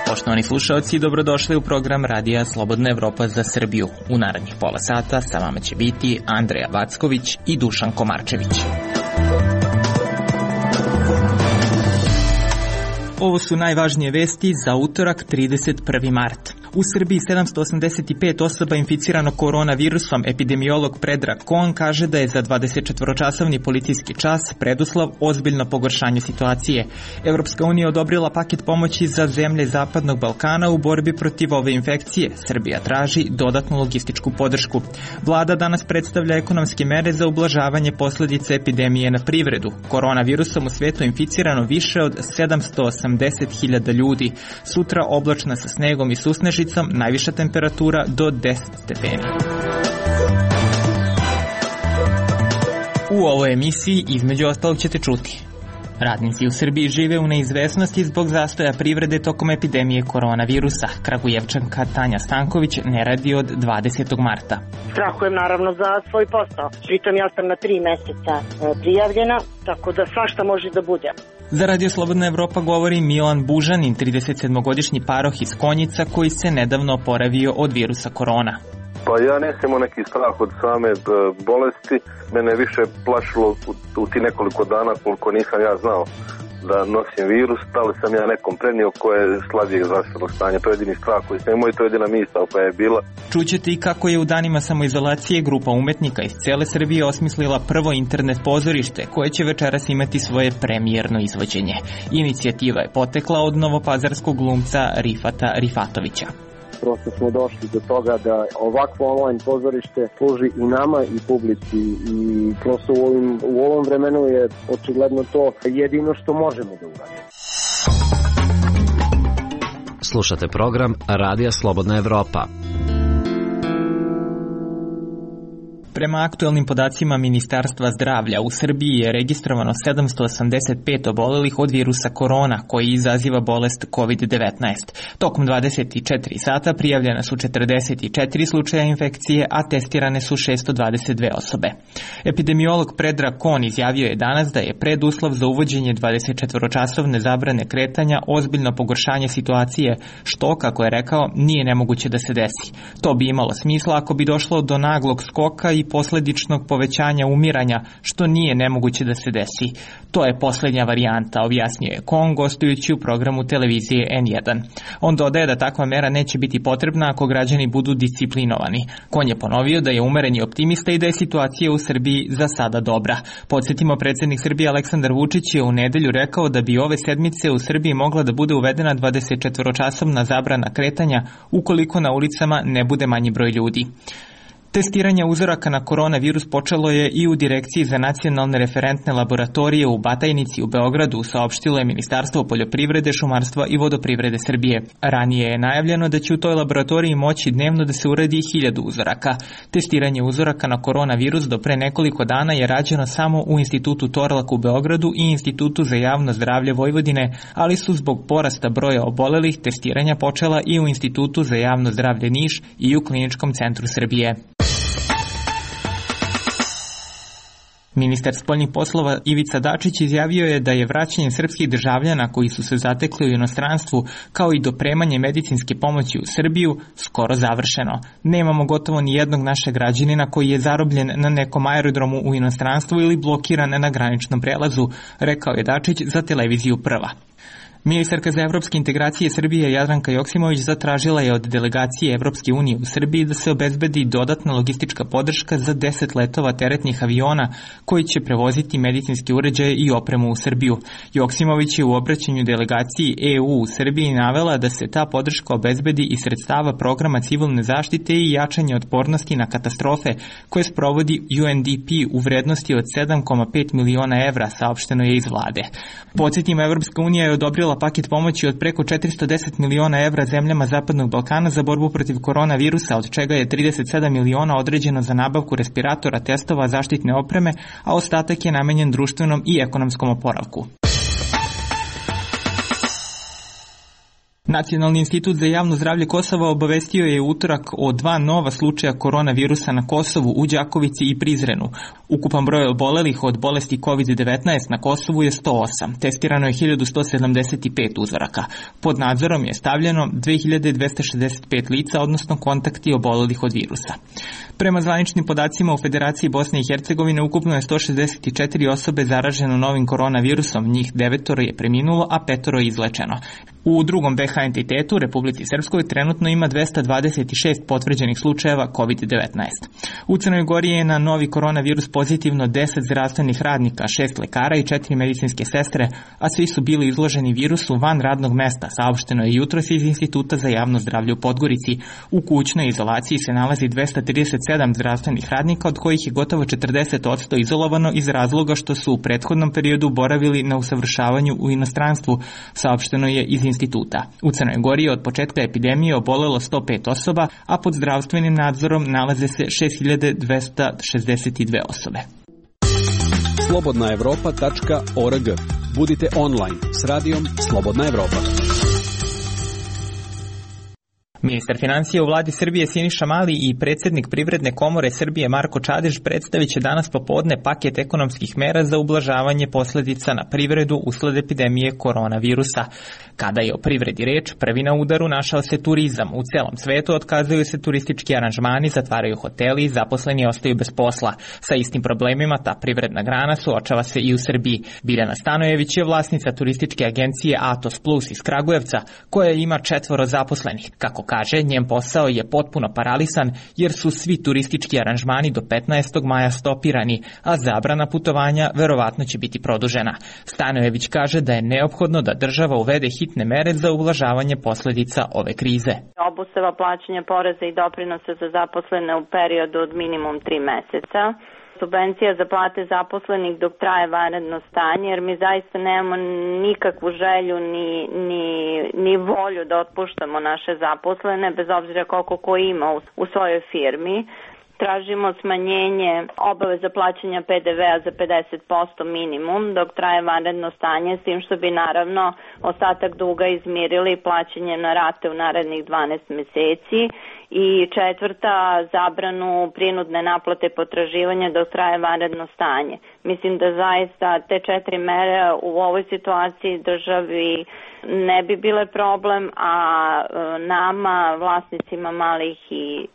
Poštovani slušalci, dobrodošli u program Radija Slobodna Evropa za Srbiju. U narednih pola sata sa vama će biti Andreja Vacković i Dušan Komarčević. Ovo su najvažnije vesti za utorak 31. mart. U Srbiji 785 osoba inficirano koronavirusom. Epidemiolog Predrag Kon kaže da je za 24-časovni policijski čas preduslov ozbiljno pogoršanje situacije. Evropska unija odobrila paket pomoći za zemlje Zapadnog Balkana u borbi protiv ove infekcije. Srbija traži dodatnu logističku podršku. Vlada danas predstavlja ekonomske mere za ublažavanje posljedica epidemije na privredu. Koronavirusom u svetu inficirano više od 780.000 ljudi. Sutra oblačna sa snegom i susnežicom, najviša temperatura do 10 stepeni. U ovoj emisiji između ostalog ćete čuti: radnici u Srbiji žive u neizvesnosti zbog zastoja privrede tokom epidemije koronavirusa. Kragujevčanka Tanja Stanković ne radi od 20. marta. Strahujem naravno za svoj posao. Pritom ja sam na 3 meseca prijavljena, tako da svašta može da bude. Za Radio Slobodna Evropa govori Milan Bužanin, 37-godišnji paroh iz Konjica koji se nedavno oporavio od virusa korona. Pa ja nisam imao neki strah od same bolesti, mene više plašilo u ti nekoliko dana koliko nisam ja znao da nosim virus, da li sam ja nekom prenio koje je slabijeg zdravstvenog stanja. To je jedini strah koji sam imao i to je jedina misao koja je bila. Čućete i kako je u danima samoizolacije grupa umetnika iz cele Srbije osmislila prvo internet pozorište koje će večeras imati svoje premijerno izvođenje. Inicijativa je potekla od novopazarskog glumca Rifata Rifatovića. Prosto smo došli do toga da ovakvo online pozorište služi i nama i publici i prosto u ovom vremenu je očigledno to jedino što možemo da uradimo. Slušate program Radija Slobodna Evropa. Prema aktuelnim podacima Ministarstva zdravlja, u Srbiji je registrovano 785 obolelih od virusa korona, koji izaziva bolest COVID-19. Tokom 24 sata prijavljena su 44 slučaja infekcije, a testirane su 622 osobe. Epidemiolog Predrag Kon izjavio je danas da je preduslov za uvođenje 24-časovne zabrane kretanja ozbiljno pogoršanje situacije, što, kako je rekao, nije nemoguće da se desi. To bi imalo smisla ako bi došlo do naglog skoka i posledičnog povećanja umiranja, što nije nemoguće da se desi. To je posljednja varijanta, objasnio je Kon gostujući u programu televizije N1. On dodaje da takva mera neće biti potrebna ako građani budu disciplinovani. Kon je ponovio da je umereni optimista i da je situacija u Srbiji za sada dobra. Podsjetimo, predsjednik Srbije Aleksandar Vučić je u nedelju rekao da bi ove sedmice u Srbiji mogla da bude uvedena 24-časovna zabrana kretanja ukoliko na ulicama ne bude manji broj ljudi. Testiranje uzoraka na koronavirus počelo je i u Direkciji za nacionalne referentne laboratorije u Batajnici u Beogradu, saopštilo je Ministarstvo poljoprivrede, šumarstva i vodoprivrede Srbije. Ranije je najavljeno da će u toj laboratoriji moći dnevno da se uradi 1000 uzoraka. Testiranje uzoraka na koronavirus do pre nekoliko dana je rađeno samo u Institutu Torlak u Beogradu i Institutu za javno zdravlje Vojvodine, ali su zbog porasta broja obolelih testiranja počela i u Institutu za javno zdravlje Niš i u Kliničkom centru Srbije. Ministar spoljnih poslova Ivica Dačić izjavio je da je vraćanje srpskih državljana koji su se zatekli u inostranstvu, kao i dopremanje medicinske pomoći u Srbiju, skoro završeno. Nemamo gotovo ni jednog našeg građanina koji je zarobljen na nekom aerodromu u inostranstvu ili blokiran na graničnom prelazu, rekao je Dačić za televiziju Prva. Ministarka za evropske integracije Srbije Jadranka Joksimović zatražila je od delegacije Evropske unije u Srbiji da se obezbedi dodatna logistička podrška za 10 letova teretnih aviona koji će prevoziti medicinske uređaje i opremu u Srbiju. Joksimović je u obraćanju delegaciji EU u Srbiji navela da se ta podrška obezbedi iz sredstava programa civilne zaštite i jačanja otpornosti na katastrofe koje sprovodi UNDP u vrednosti od 7,5 miliona evra, saopšteno je iz vlade. Podsjetimo, Evropska unija je odobrila paket pomoći od preko 410 miliona evra zemljama Zapadnog Balkana za borbu protiv koronavirusa, od čega je 37 miliona određeno za nabavku respiratora, testova, zaštitne opreme, a ostatak je namenjen društvenom i ekonomskom oporavku. Nacionalni institut za javno zdravlje Kosova obavestio je utorak o 2 nova slučaja koronavirusa na Kosovu, u Đakovici i Prizrenu. Ukupan broj obolelih od bolesti COVID-19 na Kosovu je 108. Testirano je 1175 uzoraka. Pod nadzorom je stavljeno 2265 lica, odnosno kontakti obolelih od virusa. Prema zvaničnim podacima u Federaciji Bosne i Hercegovine ukupno je 164 osobe zaraženo novim koronavirusom, njih 9 je preminulo, a 5 je izlečeno. U drugom BH entitetu, Republici Srpskoj, trenutno ima 226 potvrđenih slučajeva COVID-19. U Crnoj Gori je na novi koronavirus pozitivno 10 zdravstvenih radnika, 6 lekara i 4 medicinske sestre, a svi su bili izloženi virusu van radnog mesta, saopšteno je jutros iz Instituta za javno zdravlje u Podgorici. U kućnoj izolaciji se nalazi 237 zdravstvenih radnika, od kojih je gotovo 40% izolovano iz razloga što su u prethodnom periodu boravili na usavršavanju u inostranstvu, saopšteno je iz instituta. U Crnoj Gori je od početka epidemije obolelo 105 osoba, a pod zdravstvenim nadzorom nalaze se 6262 osobe. slobodnaevropa.org. Budite online s radijom Slobodna Evropa. Ministar financija u vladi Srbije Siniša Mali i predsjednik Privredne komore Srbije Marko Čadež predstavit će danas popodne paket ekonomskih mera za ublažavanje posljedica na privredu usled epidemije koronavirusa. Kada je o privredi reč, prvi na udaru našao se turizam. U celom svetu otkazuju se turistički aranžmani, zatvaraju hoteli i zaposleni ostaju bez posla. Sa istim problemima ta privredna grana suočava se i u Srbiji. Biljana Stanojević je vlasnica turističke agencije Atos Plus iz Kragujevca, koja ima 4 zaposlenih. Kako kaže, njen posao je potpuno paralisan jer su svi turistički aranžmani do 15. maja stopirani, a zabrana putovanja verovatno će biti produžena. Stanojević kaže da je neophodno da država uvede hitne mere za ublažavanje posljedica ove krize. Obustava plaćanja poreza i doprinosa za zaposlene u periodu od minimum 3 meseca. Subvencija za plate zaposlenih dok traje vanredno stanje, jer mi zaista nemamo nikakvu želju ni volju da otpuštamo naše zaposlene, bez obzira koliko ko ima u svojoj firmi. Tražimo smanjenje obaveza plaćanja PDV-a za 50% minimum dok traje vanredno stanje, s tim što bi naravno ostatak duga izmirili plaćanje na rate u narednih 12 meseci. I 4. zabranu prinudne naplate potraživanja dok traje vanredno stanje. Mislim da zaista te 4 mere u ovoj situaciji državi ne bi bile problem, a nama, vlasnicima malih i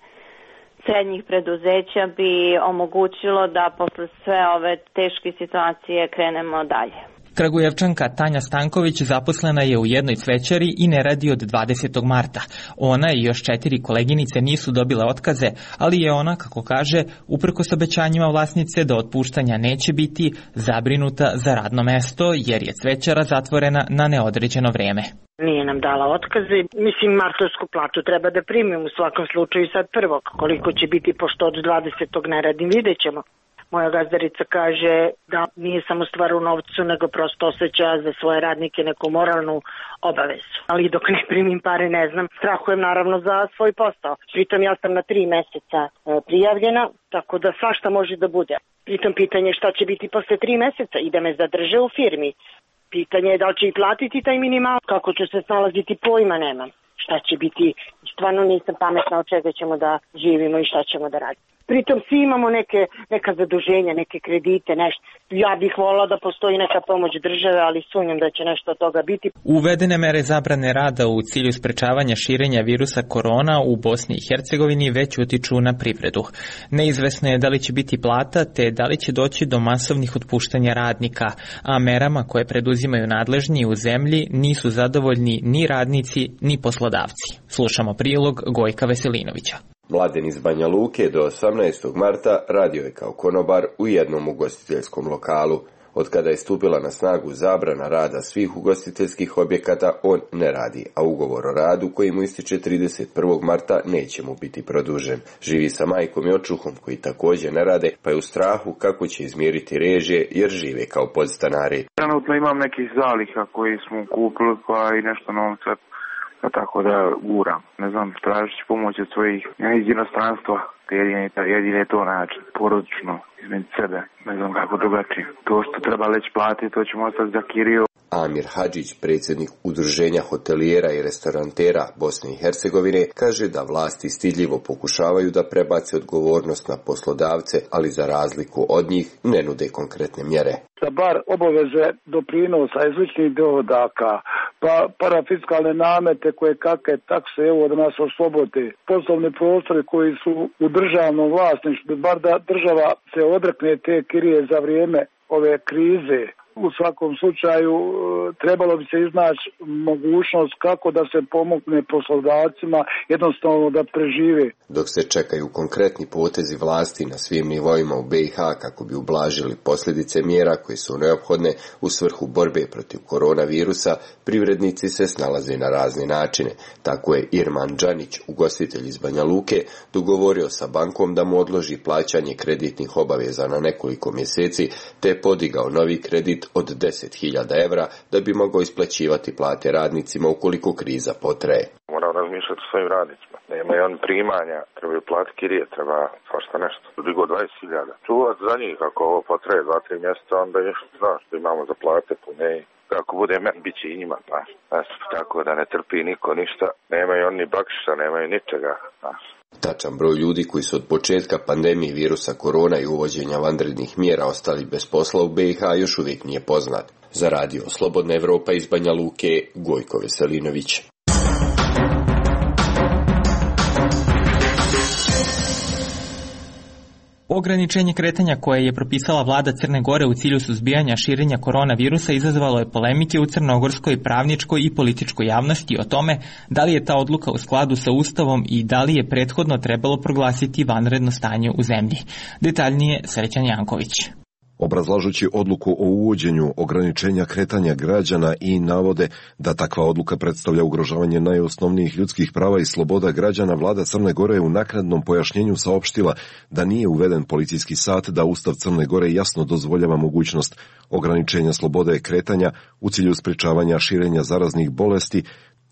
srednjih preduzeća, bi omogućilo da posle sve ove teške situacije krenemo dalje. Kragujevčanka Tanja Stanković zaposlena je u jednoj cvećari i ne radi od 20. marta. Ona i još 4 koleginice nisu dobile otkaze, ali je ona, kako kaže, uprkos obećanjima vlasnice da otpuštanja neće biti, zabrinuta za radno mesto jer je cvećara zatvorena na neodređeno vrijeme. Nije nam dala otkaze. Mislim, martovsku platu treba da primim u svakom slučaju sad prvo. Koliko će biti, pošto od 20. ne radim, vidjet ćemo. Moja gazdarica kaže da nije samo stvar u novcu, nego prosto osjeća za svoje radnike neku moralnu obavezu. Ali dok ne primim pare, ne znam, strahujem naravno za svoj posao. Pritom ja sam na 3 meseca prijavljena, tako da svašta može da bude. Pritom pitanje šta će biti posle 3 meseca i da me zadrže u firmi. Pitanje je da li će i platiti taj minimal, kako ću se snalaziti, pojma nemam. Šta će biti, stvarno nisam pametna od čega ćemo da živimo i šta ćemo da radimo. Pritom svi imamo neka zaduženja, neke kredite, nešto. Ja bih volila da postoji neka pomoć države, ali sumnjam da će nešto od toga biti. Uvedene mere zabrane rada u cilju sprečavanja širenja virusa korona u Bosni i Hercegovini već utiču na privredu. Neizvesno je da li će biti plata, te da li će doći do masovnih otpuštanja radnika, a merama koje preduzimaju nadležni u zemlji nisu zadovoljni ni radnici, ni poslodavci. Slušamo prilog Gojka Veselinovića. Mladen iz Banja Luke do 18. marta radio je kao konobar u jednom ugostiteljskom lokalu. Od kada je stupila na snagu zabrana rada svih ugostiteljskih objekata, on ne radi, a ugovor o radu koji mu ističe 31. marta neće mu biti produžen. Živi sa majkom i očuhom koji također ne rade, pa je u strahu kako će izmiriti režije jer žive kao podstanari. Trenutno imam nekih zaliha koji smo kupili, pa i nešto novca. Tako da guram, ne znam, tražit ću pomoć od svojih iz inostranstva, jedini je to način, porodično, između sebe, ne znam kako drugačije. To što treba već platiti, to ćemo ostati za kiriju. Amir Hadžić, predsjednik Udruženja hotelijera i restorantera Bosne i Hercegovine, kaže da vlasti stidljivo pokušavaju da prebace odgovornost na poslodavce, ali za razliku od njih ne nude konkretne mjere. Da bar obaveze doprinosa iz ličnih dohodaka, pa parafiskalne namete koje kakve takse, evo da nas oslobode, poslovni prostori koji su u državnom vlasništvu, bar da država se odrekne te kirije za vrijeme ove krize. U svakom slučaju trebalo bi se iznaći mogućnost kako da se pomogne poslodavcima jednostavno da prežive. Dok se čekaju konkretni potezi vlasti na svim nivoima u BiH kako bi ublažili posljedice mjera koje su neophodne u svrhu borbe protiv koronavirusa, privrednici se snalaze na razne načine. Tako je Irman Đanić, ugostitelj iz Banja Luke, dogovorio sa bankom da mu odloži plaćanje kreditnih obaveza na nekoliko mjeseci, te je podigao novi kredit od 10.000 evra da bi mogao isplaćivati plate radnicima ukoliko kriza potraje. Moram razmišljati o svojim radnicima. Nemaju oni primanja, trebaju platiti kirije, treba svašta nešto. Digo 20.000. Čuvati za njih, ako ovo potraje 2-3 mjeseca, onda nešto znaš da imamo za plate pune. Kako bude meni, bit će i njima, znaš. Tako da ne trpi niko ništa. Nemaju oni bakšiša, nemaju ničega, znaš. Tačan broj ljudi koji su od početka pandemije virusa korona i uvođenja vanrednih mjera ostali bez posla u BiH još uvijek nije poznat. Za radio Slobodna Evropa iz Banja Luke, Gojko Veselinović. Ograničenje kretanja koje je propisala vlada Crne Gore u cilju suzbijanja širenja koronavirusa izazvalo je polemike u crnogorskoj pravničkoj i političkoj javnosti o tome da li je ta odluka u skladu sa Ustavom i da li je prethodno trebalo proglasiti vanredno stanje u zemlji. Detaljnije Srećan Janković. Obrazlažući odluku o uvođenju ograničenja kretanja građana i navode da takva odluka predstavlja ugrožavanje najosnovnijih ljudskih prava i sloboda građana, vlada Crne Gore je u naknadnom pojašnjenju saopštila da nije uveden policijski sat, da Ustav Crne Gore jasno dozvoljava mogućnost ograničenja slobode kretanja u cilju sprečavanja širenja zaraznih bolesti,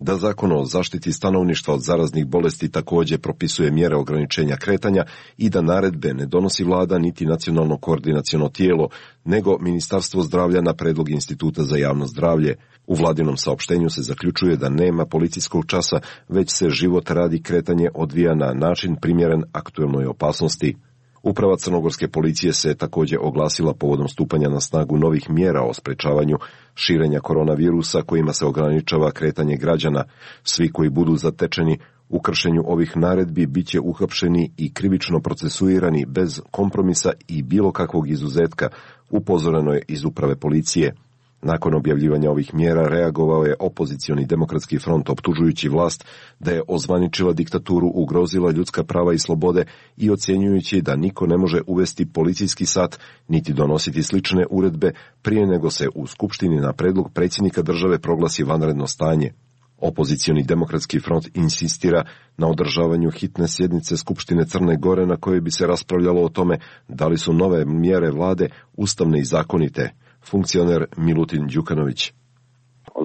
da Zakon o zaštiti stanovništva od zaraznih bolesti također propisuje mjere ograničenja kretanja i da naredbe ne donosi vlada niti nacionalno koordinaciono tijelo, nego Ministarstvo zdravlja na predlog Instituta za javno zdravlje. U vladinom saopštenju se zaključuje da nema policijskog časa, već se život radi kretanje odvija na način primjeren aktuelnoj opasnosti. Uprava crnogorske policije se također oglasila povodom stupanja na snagu novih mjera o sprečavanju širenja koronavirusa kojima se ograničava kretanje građana. Svi koji budu zatečeni u kršenju ovih naredbi bit će uhapšeni i krivično procesuirani bez kompromisa i bilo kakvog izuzetka, upozoreno je iz uprave policije. Nakon objavljivanja ovih mjera reagovao je opozicioni demokratski front optužujući vlast da je ozvaničila diktaturu, ugrozila ljudska prava i slobode i ocjenjujući da niko ne može uvesti policijski sat niti donositi slične uredbe prije nego se u Skupštini na predlog predsjednika države proglasi vanredno stanje. Opozicioni demokratski front insistira na održavanju hitne sjednice Skupštine Crne Gore na kojoj bi se raspravljalo o tome da li su nove mjere vlade ustavne i zakonite. Funkcioner Milutin Đukanović.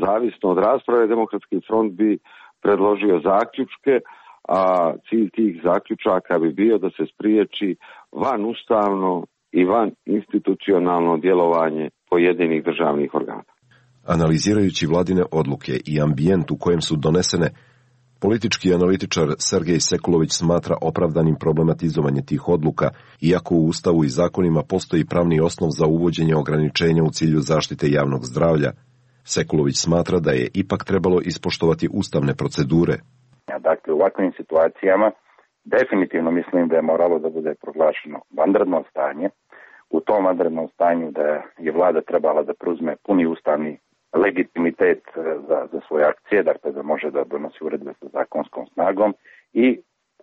Zavisno od rasprave, Demokratski front bi predložio zaključke, a cilj tih zaključaka bi bio da se spriječi vanustavno i van institucionalno djelovanje pojedinih državnih organa. Analizirajući vladine odluke i ambijent u kojem su donesene, politički analitičar Sergej Sekulović smatra opravdanim problematizovanje tih odluka, iako u Ustavu i zakonima postoji pravni osnov za uvođenje ograničenja u cilju zaštite javnog zdravlja. Sekulović smatra da je ipak trebalo ispoštovati ustavne procedure. Dakle, u ovakvim situacijama definitivno mislim da je moralo da bude proglašeno vanredno stanje. U tom vanrednom stanju da je vlada trebala da preuzme puni ustavni legitimitet za svoje akcije, dakle da može da donosi uredbe sa zakonskom snagom i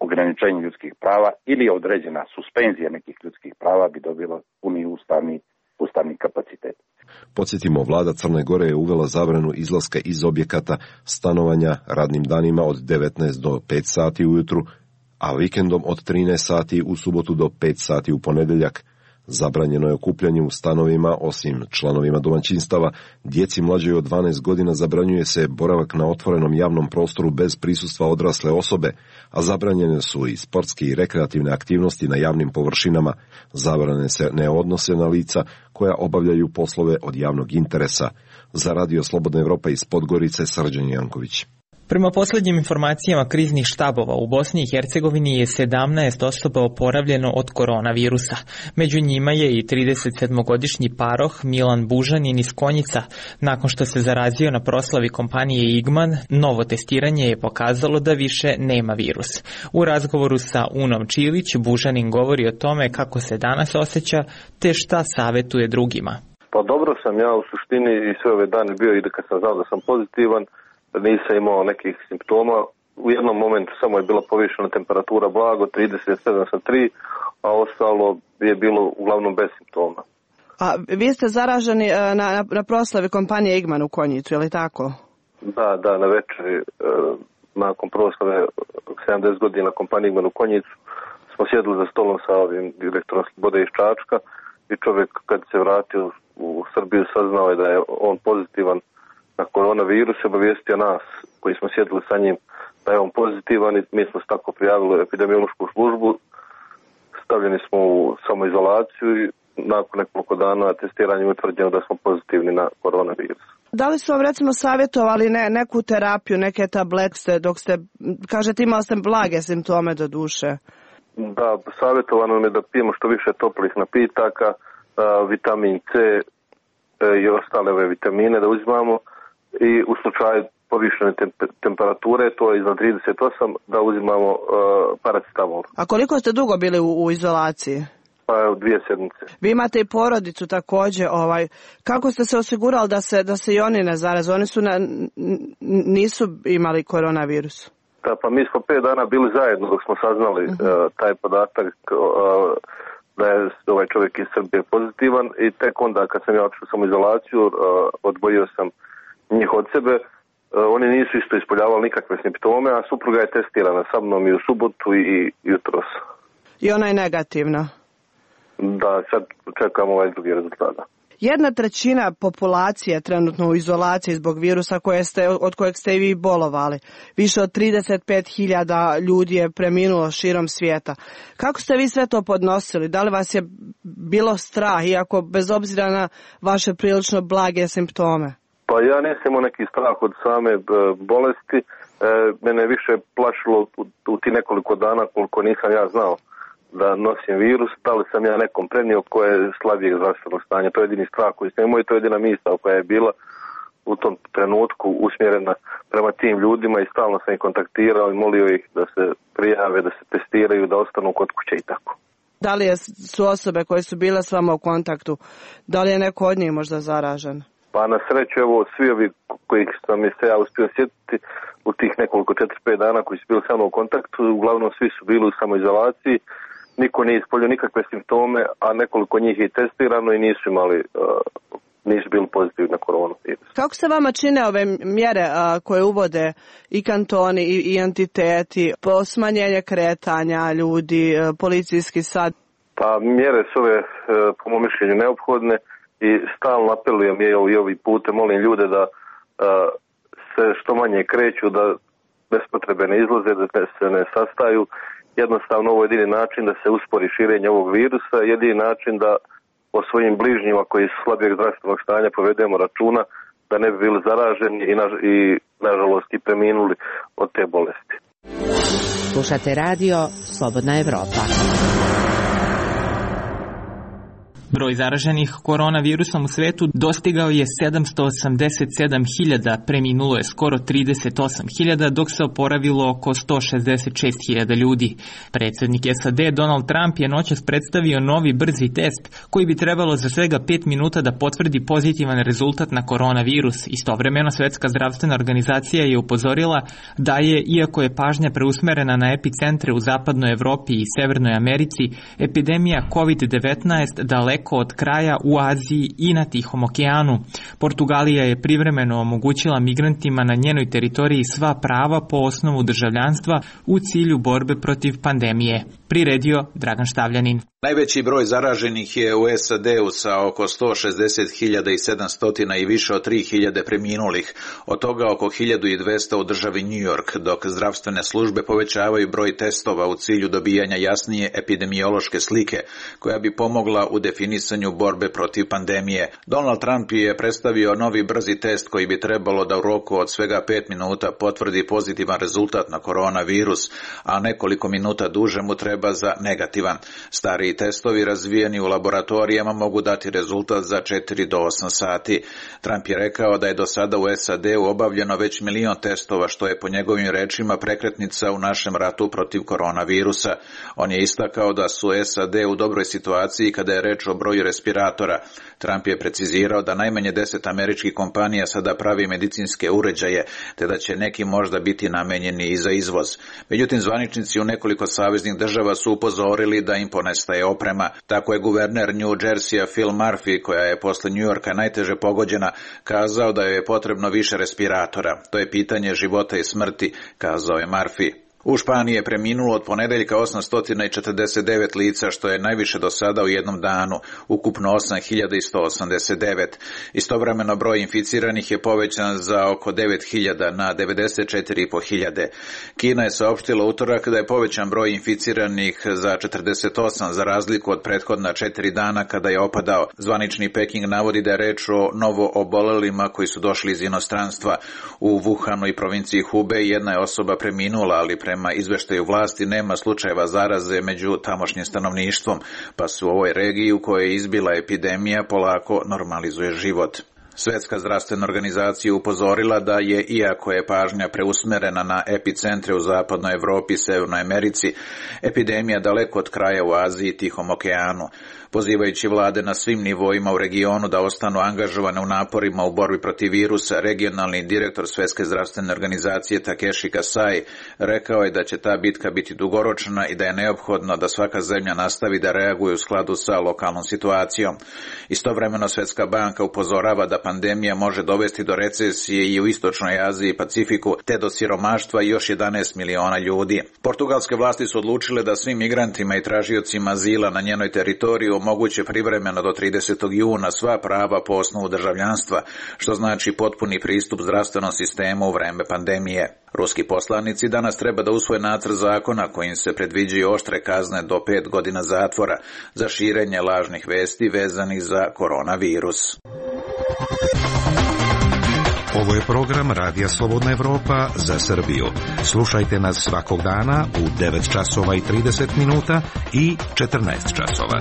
ograničenje ljudskih prava ili određena suspenzija nekih ljudskih prava bi dobilo puni ustavni kapacitet. Podsjetimo, vlada Crne Gore je uvela zabranu izlaska iz objekata stanovanja radnim danima od 19 do 5 sati ujutru, a vikendom od 13 sati u subotu do 5 sati u ponedjeljak. Zabranjeno je okupljanje u stanovima, osim članovima domaćinstava. Djeci mlađoj od 12 godina zabranjuje se boravak na otvorenom javnom prostoru bez prisustva odrasle osobe, a zabranjene su i sportske i rekreativne aktivnosti na javnim površinama. Zabrane se ne odnose na lica koja obavljaju poslove od javnog interesa. Za Radio Slobodna Evropa iz Podgorice, Srđan Janković. Prema posljednjim informacijama kriznih štabova u Bosni i Hercegovini je 17 osoba oporavljeno od koronavirusa. Među njima je i 37-godišnji paroh Milan Bužanin iz Konjica. Nakon što se zarazio na proslavi kompanije Igman, novo testiranje je pokazalo da više nema virus. U razgovoru sa Unom Čilić, Bužanin govori o tome kako se danas osjeća te šta savjetuje drugima. Pa dobro sam ja u suštini i sve ove dane bio i kad sam znao da sam pozitivan, nisam imao nekih simptoma. U jednom momentu samo je bila povišena temperatura blago, 37,3, a ostalo je bilo uglavnom bez simptoma. A vi ste zaraženi na proslavi kompanije Igman u Konjicu, je li tako? Da, na večeri nakon proslave 70 godina kompanije Igman u Konjicu smo sjedili za stolom sa ovim direktorom Slobode iz Čačka i čovjek kad se vratio u Srbiju saznao je da je on pozitivan na koronavirus, obavijestio nas koji smo sjedili sa njim da je on pozitivan i mi smo se tako prijavili u epidemiološku službu, stavljeni smo u samoizolaciju i nakon nekoliko dana testiranja je utvrđeno da smo pozitivni na koronavirus. Da li su vam recimo savjetovali neku terapiju, neke tablete dok ste, kažete imali ste blage simptome do duše? Da, savjetovano nam je da pijemo što više toplih napitaka, vitamin C i ostale ove vitamine da uzimamo i u slučaju povišene temperature, to je iznad 38, da uzimamo paracetamol. A koliko ste dugo bili u izolaciji? Pa 2 sedmice. Vi imate i porodicu također, kako ste se osigurali da se i oni ne zaraze? Oni nisu imali koronavirus? Da, pa mi smo 5 dana bili zajedno dok smo saznali taj podatak da je ovaj čovjek iz Srbije pozitivan i tek onda kad sam ja otišao u samoizolaciju odvojio sam njih od sebe. Oni nisu isto ispoljavali nikakve simptome, a supruga je testirana sa mnom i u subotu i jutros. I ona je negativna? Da, sad čekamo ovaj drugi rezultat. 1/3 populacije trenutno u izolaciji zbog virusa od kojeg ste i vi bolovali. Više od 35.000 ljudi je preminulo širom svijeta. Kako ste vi sve to podnosili? Da li vas je bilo strah, iako bez obzira na vaše prilično blage simptome? Pa ja nisam imao neki strah od same bolesti. Mene je više plašilo u ti nekoliko dana koliko nisam ja znao da nosim virus, da li sam ja nekom prenio koje je slabijeg zdravstvenog stanja. To je jedini strah koji sam imao i to je jedina misao koja je bila u tom trenutku usmjerena prema tim ljudima i stalno sam ih kontaktirao i molio ih da se prijave, da se testiraju, da ostanu kod kuće i tako. Da li su osobe koje su bile s vama u kontaktu, da li je neko od njih možda zaražen? Pa na sreću, evo, svi ovi kojih sam se ja uspio sjetiti u tih nekoliko 4-5 dana koji su bili sa mnom u kontaktu, uglavnom svi su bili u samoizolaciji, niko nije ispoljio nikakve simptome, a nekoliko njih je testirano i nisu bili pozitivni na koronavirus. Kako se vama čine ove mjere koje uvode i kantoni i entiteti, po smanjenje kretanja ljudi, policijski sad? Pa mjere su ove, po mom mišljenju, neophodne i stalno apelujem i ovim putem molim ljude da se što manje kreću, da bez potrebe ne izlaze, da se ne sastaju. Jednostavno ovo je jedini način da se uspori širenje ovog virusa, jedini način da o svojim bližnjima koji su slabijeg zdravstvenog stanja povedemo računa da ne bi bili zaraženi i nažalost i preminuli od te bolesti. Slušate radio Slobodna Evropa. Broj zaraženih koronavirusom u svetu dostigao je 787.000, preminulo je skoro 38.000, dok se oporavilo oko 166.000 ljudi. Predsjednik SAD Donald Trump je noćas predstavio novi brzi test koji bi trebalo za svega 5 minuta da potvrdi pozitivan rezultat na koronavirus. Istovremeno Svjetska zdravstvena organizacija je upozorila da je, iako je pažnja preusmerena na epicentre u zapadnoj Evropi i Severnoj Americi, epidemija COVID-19 daleko od kraja u Aziji i na Tihom okeanu. Portugalija je privremeno omogućila migrantima na njenoj teritoriji sva prava po osnovu državljanstva u cilju borbe protiv pandemije. Priredio Dragan Štavljanin. Najveći broj zaraženih je u SAD-u sa oko 160.700 i više od 3.000 preminulih, od toga oko 1.200 u državi New York, dok zdravstvene službe povećavaju broj testova u cilju dobijanja jasnije epidemiološke slike, koja bi pomogla u definisanju borbe protiv pandemije. Donald Trump je predstavio novi brzi test koji bi trebalo da u roku od svega 5 minuta potvrdi pozitivan rezultat na koronavirus, a nekoliko minuta duže mu treba za negativan. Stari testovi razvijeni u laboratorijama mogu dati rezultat za 4 do 8 sati. Trump je rekao da je do sada u SAD-u obavljeno već 1 milion testova, što je po njegovim rečima prekretnica u našem ratu protiv koronavirusa. On je istakao da su SAD u dobroj situaciji kada je reč o broju respiratora. Trump je precizirao da najmanje 10 američkih kompanija sada pravi medicinske uređaje, te da će neki možda biti namenjeni i za izvoz. Međutim, zvaničnici u nekoliko saveznih država su upozorili da im ponestaje oprema. Tako je guverner New Jerseya Phil Murphy, koja je posle New Yorka najteže pogođena, kazao da joj je potrebno više respiratora. To je pitanje života i smrti, kazao je Murphy. U Španiji je preminulo od ponedeljka 849 lica, što je najviše do sada u jednom danu, ukupno 8.189. Istovremeno broj inficiranih je povećan za oko 9.000 na 94.500. Kina je saopštila utorak da je povećan broj inficiranih za 48, za razliku od prethodna 4 dana kada je opadao. Zvanični Peking navodi da je reč o novo obolelima koji su došli iz inostranstva. U Wuhanu i provinciji Hubei jedna je osoba preminula, ali prema izveštaju vlasti nema slučajeva zaraze među tamošnjim stanovništvom, pa se u ovoj regiji u kojoj je izbila epidemija polako normalizuje život. Svetska zdravstvena organizacija upozorila da je, iako je pažnja preusmerena na epicentre u zapadnoj Evropi i Severnoj Americi, epidemija daleko od kraja u Aziji i Tihom okeanu. Pozivajući vlade na svim nivoima u regionu da ostanu angažovane u naporima u borbi protiv virusa, regionalni direktor Svetske zdravstvene organizacije Takeshi Kasai rekao je da će ta bitka biti dugoročna i da je neophodno da svaka zemlja nastavi da reaguje u skladu sa lokalnom situacijom. Istovremeno Svetska banka upozorava da pandemija može dovesti do recesije i u Istočnoj Aziji i Pacifiku, te do siromaštva još 11 miliona ljudi. Portugalske vlasti su odlučile da svim migrantima i tražiocima azila na njenoj teritoriji omoguće privremeno do 30. juna sva prava po osnovu državljanstva, što znači potpuni pristup zdravstvenom sistemu u vreme pandemije. Ruski poslanici danas treba da usvoje nacrt zakona kojim se predviđaju oštre kazne do 5 godina zatvora za širenje lažnih vesti vezanih za koronavirus. Ovo je program Radija Slobodna Evropa za Srbiju. Slušajte nas svakog dana u 9 časova i 30 minuta i 14 časova.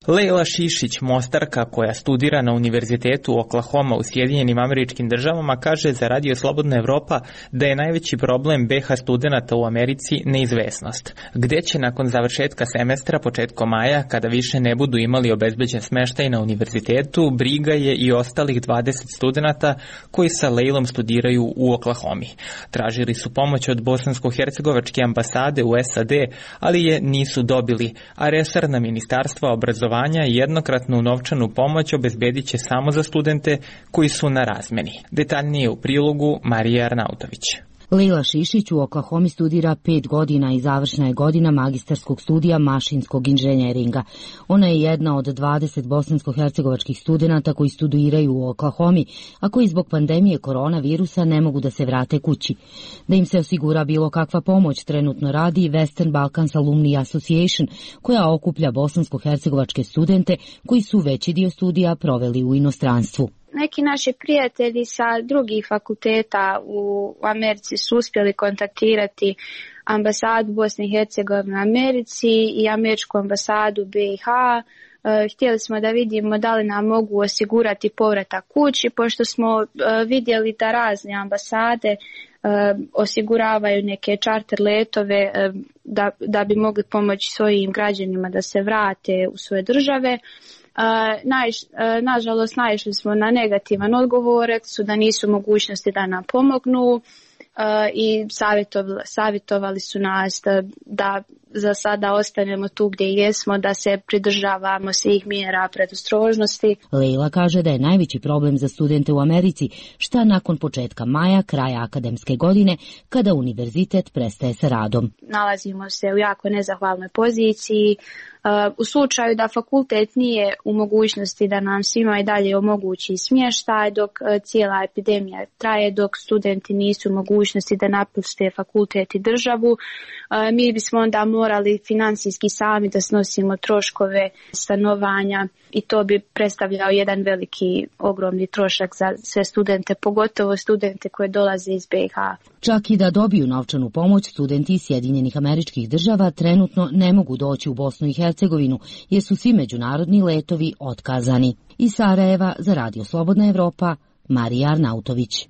Leila Šišić, mostarka koja studira na Univerzitetu Oklahoma u Sjedinjenim Američkim Državama, kaže za Radio Slobodna Evropa da je najveći problem BH studenata u Americi neizvesnost. Gde će nakon završetka semestra početkom maja, kada više ne budu imali obezbeđen smeštaj na univerzitetu, briga je i ostalih 20 studenata koji sa Leilom studiraju u Oklahomi. Tražili su pomoć od bosansko-hercegovačke ambasade u SAD, ali je nisu dobili, a resorna ministarstva obrazovanja jednokratnu novčanu pomoć obezbedit će samo za studente koji su na razmeni. Detaljnije u prilogu Marija Arnautović. Leila Šišić u Oklahomi studira 5 godina i završna je godina magistarskog studija mašinskog inženjeringa. Ona je jedna od 20 bosansko-hercegovačkih studenata koji studiraju u Oklahomi, a koji zbog pandemije koronavirusa ne mogu da se vrate kući. Da im se osigura bilo kakva pomoć, trenutno radi Western Balkans Alumni Association, koja okuplja bosansko-hercegovačke studente koji su veći dio studija proveli u inostranstvu. Neki naši prijatelji sa drugih fakulteta u Americi su uspjeli kontaktirati ambasadu Bosne i Hercegovine u Americi i američku ambasadu BiH. Htjeli smo da vidimo da li nam mogu osigurati povratak kući, pošto smo vidjeli da razne ambasade osiguravaju neke čarter letove da bi mogli pomoći svojim građanima da se vrate u svoje države. Nažalost, naišli smo na negativan odgovor, su da nisu mogućnosti da nam pomognu i savjetovali su nas da za sada ostanemo tu gdje jesmo, da se pridržavamo svih mjera predostrožnosti. Leila kaže da je najveći problem za studente u Americi šta nakon početka maja, kraja akademske godine, kada univerzitet prestaje sa radom. Nalazimo se u jako nezahvalnoj poziciji. U slučaju da fakultet nije u mogućnosti da nam svima i dalje omogući smještaj dok cijela epidemija traje, dok studenti nisu u mogućnosti da napuste fakultet i državu, mi bismo onda morali financijski sami da snosimo troškove stanovanja i to bi predstavljao jedan veliki, ogromni trošak za sve studente, pogotovo studente koje dolaze iz BiH. Čak i da dobiju novčanu pomoć, studenti iz Sjedinjenih Američkih Država trenutno ne mogu doći u Bosnu i Hercegovinu jer su svi međunarodni letovi otkazani. Iz Sarajeva za Radio Slobodna Evropa, Marija Arnautović.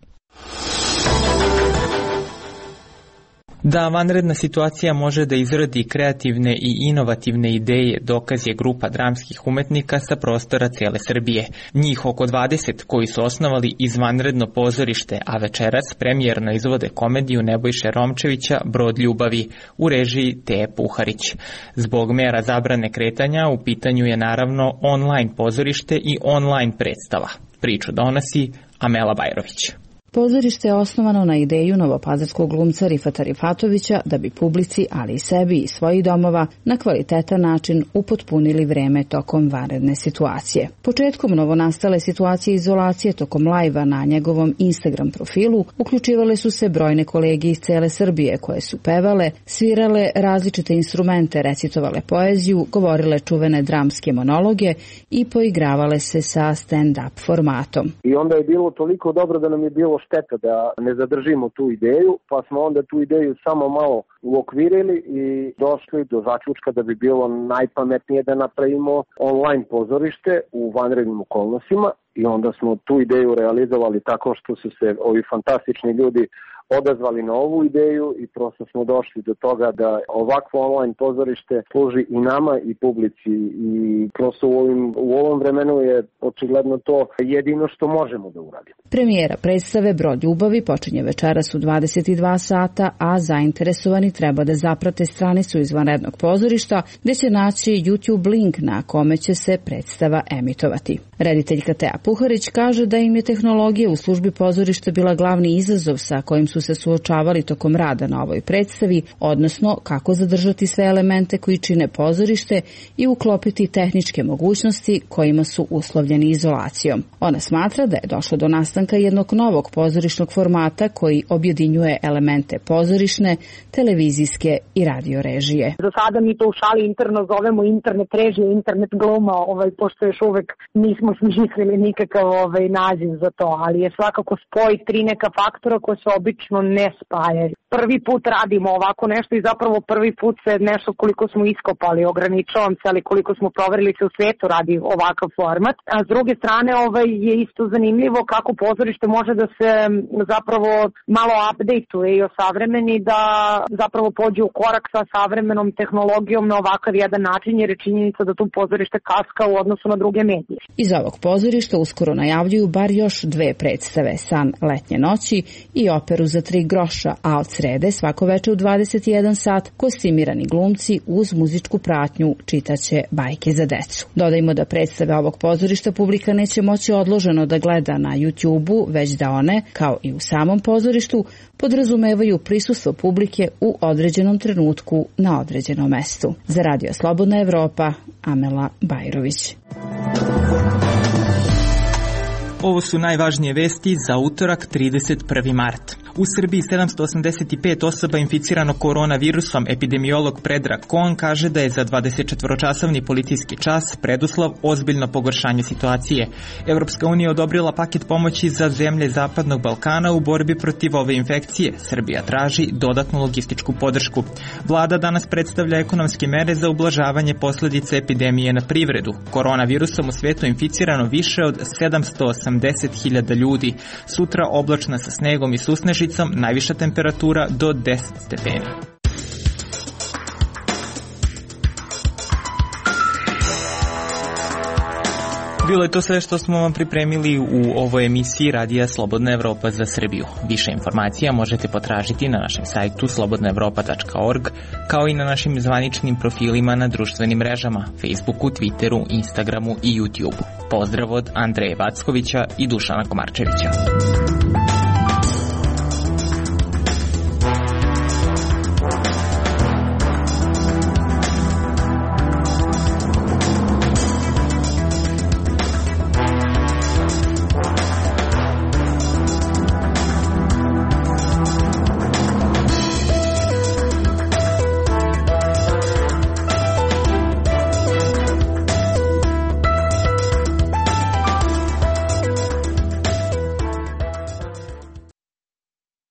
Da vanredna situacija može da izrodi kreativne i inovativne ideje, dokaz je grupa dramskih umetnika sa prostora cijele Srbije. Njih oko 20 koji su osnovali izvanredno pozorište, a večeras premijerno izvode komediju Nebojše Romčevića Brod ljubavi u režiji Teje Puharić. Zbog mera zabrane kretanja u pitanju je naravno online pozorište i online predstava. Priču donosi Amela Bajrović. Pozorište je osnovano na ideju novopazarskog glumca Rifata Rifatovića da bi publici, ali i sebi i svojih domova, na kvalitetan način upotpunili vreme tokom vanredne situacije. Početkom novonastale situacije izolacije tokom lajva na njegovom Instagram profilu uključivale su se brojne kolege iz cele Srbije koje su pevale, svirale različite instrumente, recitovale poeziju, govorile čuvene dramske monologe i poigravale se sa stand-up formatom. I onda je bilo toliko dobro da nam je bilo šteta da ne zadržimo tu ideju, pa smo onda tu ideju samo malo uokvirili i došli do zaključka da bi bilo najpametnije da napravimo online pozorište u vanrednim okolnostima i onda smo tu ideju realizovali tako što su se ovi fantastični ljudi odazvali na ovu ideju i prosto smo došli do toga da ovakvo online pozorište služi i nama i publici i prosto u ovom vremenu je očigledno to jedino što možemo da uradimo. Premijera predstave Brod ljubavi počinje večeras u 22 sata, a zainteresovani treba da zaprate stranicu izvanrednog pozorišta gdje će naći YouTube link na kome će se predstava emitovati. Rediteljka Teja Puharić kaže da im je tehnologija u službi pozorišta bila glavni izazov sa kojim su se suočavali tokom rada na ovoj predstavi, odnosno kako zadržati sve elemente koji čine pozorište i uklopiti tehničke mogućnosti kojima su uslovljeni izolacijom. Ona smatra da je došlo do nastanka jednog novog pozorišnog formata koji objedinjuje elemente pozorišne, televizijske i radio režije. Za sada mi to u šali interno zovemo internet režije, internet gluma, pošto još uvek nismo smislili nikakav naziv za to, ali je svakako spoj tri neka faktora koje se obično ne spajaju. Prvi put radimo ovako nešto i zapravo prvi put se nešto koliko smo iskopali, ograničavam se, ali koliko smo proverili se u svijetu radi ovakav format. A s druge strane je isto zanimljivo kako pozorište može da se zapravo malo update-uje i osavremeni, da zapravo pođe u korak sa savremenom tehnologijom na ovakav jedan način, jer je činjenica da tu pozorište kaska u odnosu na druge medije. Iz ovog pozorišta uskoro najavljuju bar još dve predstave, San letnje noći i operu za 3 groša, a od srede svako veče u 21 sat kostimirani glumci uz muzičku pratnju čitaće bajke za decu. Dodajmo da predstave ovog pozorišta publika neće moći odloženo da gleda na YouTube-u, već da one, kao i u samom pozorištu, podrazumevaju prisustvo publike u određenom trenutku na određenom mestu. Za Radio Slobodna Evropa, Amela Bajrović. Ovo su najvažnije vesti za utorak 31. mart. U Srbiji 785 osoba inficirano koronavirusom. Epidemiolog Predrag Kon kaže da je za 24-časovni policijski čas preduslov ozbiljno pogoršanje situacije. Evropska unija odobrila paket pomoći za zemlje Zapadnog Balkana u borbi protiv ove infekcije. Srbija traži dodatnu logističku podršku. Vlada danas predstavlja ekonomske mere za ublažavanje posljedica epidemije na privredu. Koronavirusom u svetu inficirano više od 780.000 ljudi. Sutra oblačno sa snegom i susnežicom, najviša temperatura do 10 stepeni. Bilo je to sve što smo vam pripremili u ovoj emisiji Radija Slobodna Evropa za Srbiju. Više informacija možete potražiti na našem sajtu slobodnaevropa.org, kao i na našim zvaničnim profilima na društvenim mrežama, Facebooku, Twitteru, Instagramu i YouTubeu. Pozdrav od Andreja Vackovića i Dušana Komarčevića.